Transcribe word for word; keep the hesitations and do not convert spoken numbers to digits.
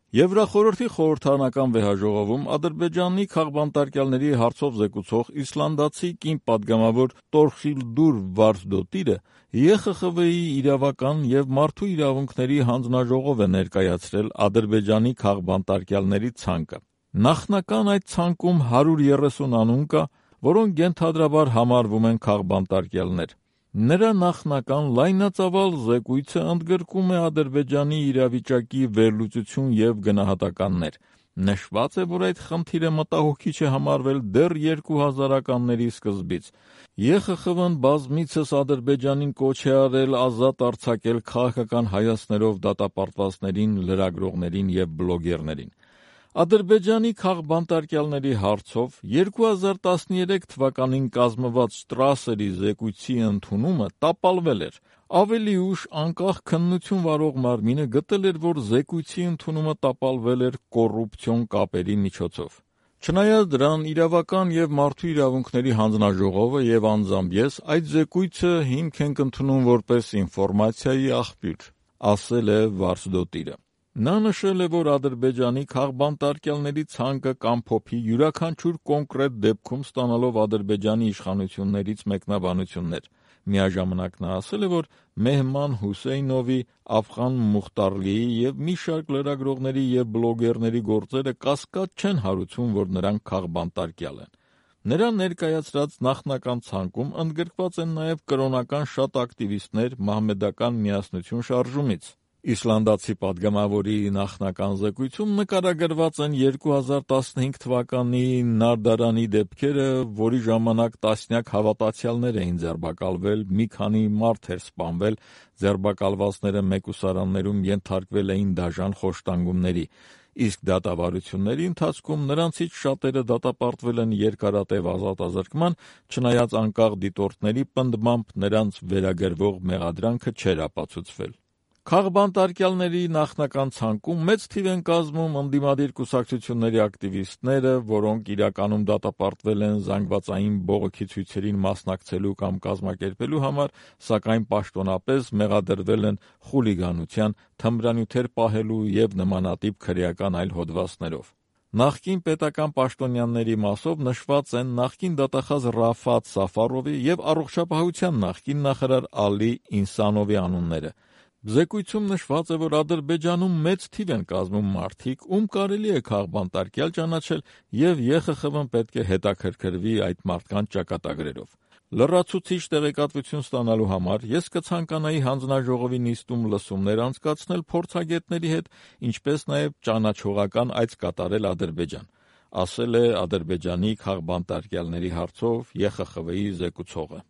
Եվրախորհրդի խորհրդարանական վեհաժողովում Ադրբեջանի քաղբանտարկյալների հարցով զեկուցող իսլանդացի կին պատգամավոր Տորխիլդուր Վարդդոտիրը Է Խ Խ V-ի իրավական և մարդու իրավունքների հանձնաժողով է ներկայացրել Ադրբեջանի քաղբանտարկյալների ցանկը։ Նախնական այդ ցանկում հարյուր երեսուն անուն կա, որոնք ենթադրաբար համարվում են քաղբանտարկյալներ։ Նրա նախնական լայնածավալ զեկույցը ընդգրկում է Ադրբեջանի իրավիճակի վերլուծություն և գնահատականներ։ Նշված է, որ այդ խնդիրը մտահոգիչ է համարվել դեռ երկու հազարականների սկզբից։ Է Խ Խ V-ն բազմիցս Ադրբեջանին կոչ է արել ազատ արձակել քաղաքական հայացքներով դատապարտվածներին, լրագրողներին և բլոգերներին։ Ադրբեջանի քաղբանտարկյալների հարցով երկու հազար տասներեք թվականին կազմված Շտրասերի զեկույցի ընդունումը տապալվել էր։ Ավելի ուշ անկախ քննություն վարող մարմինը գտել էր, որ զեկույցի ընդունումը տապալվել էր կոռուպցիոն կապերի միջոցով։ Չնայած դրան, Իրավական և մարդու իրավունքների հանձնաժողովը և անձամբ ես այդ զեկույցը հիմք ենք ընդունում որպես ինֆորմացիայի աղբյուր, ասել է Վարդդոտիրը։ Նա նշել է, որ Ադրբեջանի քաղբանտարկյալների ցանկը կամփոփի յուրաքանչյուր կոնկրետ դեպքում ստանալով Ադրբեջանի իշխանություններից մեկնաբանություններ։ Միաժամանակ նա ասել է, որ Մեհման Հուսեյնովի, Աֆղան Մուխտարլիի և մի շարք լրագրողների և բլոգերների գործերը կասկած չեն հարուցում, որ նրանք քաղբանտարկյալ են։ Նրա ներկայացրած նախնական ցանկում ընդգրկված են նաև կրոնական շատ ակտիվիստներ Մահմեդական միասնություն շարժումից։ Իսլանդացի պատգամավորի նախնական զեկույցում նկարագրված են երկու հազար տասնհինգ թվականի Նարդարանի դեպքերը, որի ժամանակ տասնյակ հավատացյալներ էին ձերբակալվել, մի քանի մարդ էր սպանվել, ձերբակալվածները մեկուսարաններում ենթարկվել էին դաժան խոշտանգումների, իսկ դատավարությունների ընթացքում նրանցից շատերը դատապարտվել են երկարատև ազատազրկման, չնայած անկախ դիտորդների պնդմամբ նրանց վերագրվող մեղադրանքը չէր ապացուցվել։ Քաղբանտարկյալների նախնական ցանկում մեծ թիվ են կազմում ընդդիմադիր կուսակցությունների ակտիվիստները, որոնք իրականում դատապարտվել են զանգվածային բողոքի ցույցերին մասնակցելու կամ կազմակերպելու համար, սակայն պաշտոնապես մեղադրվել են խուլիգանության, թմրանյութեր պահելու և նմանատիպ քրեական այլ հոդվածներով։ Նախկին պետական պաշտոնյաների մասով նշված են նախկին դատախազ Ռաֆատ Սաֆարովի և առողջապահության նախկին նախարար Ալի Ինսանովի անունները։ Զեկույցում նշված է, որ Ադրբեջանում մեծ թիվ են կազմում մարդիկ, ում կարելի է քաղբանտարկյալ ճանաչել, և Է Խ Խ V-ն պետք է հետաքրքրվի այդ մարդկանց ճակատագրերով։ Լրացուցիչ տեղեկատվություն ստանալու համար ես կցանկանայի հանձնաժողովի նիստում լսումներ անցկացնել փորձագետների հետ, ինչպես նաև ճանաչողական այց կատարել Ադրբեջան, ասել է Ադրբեջանի քաղբանտարկյալների հարցով Է Խ Խ V-ի զեկուցողը։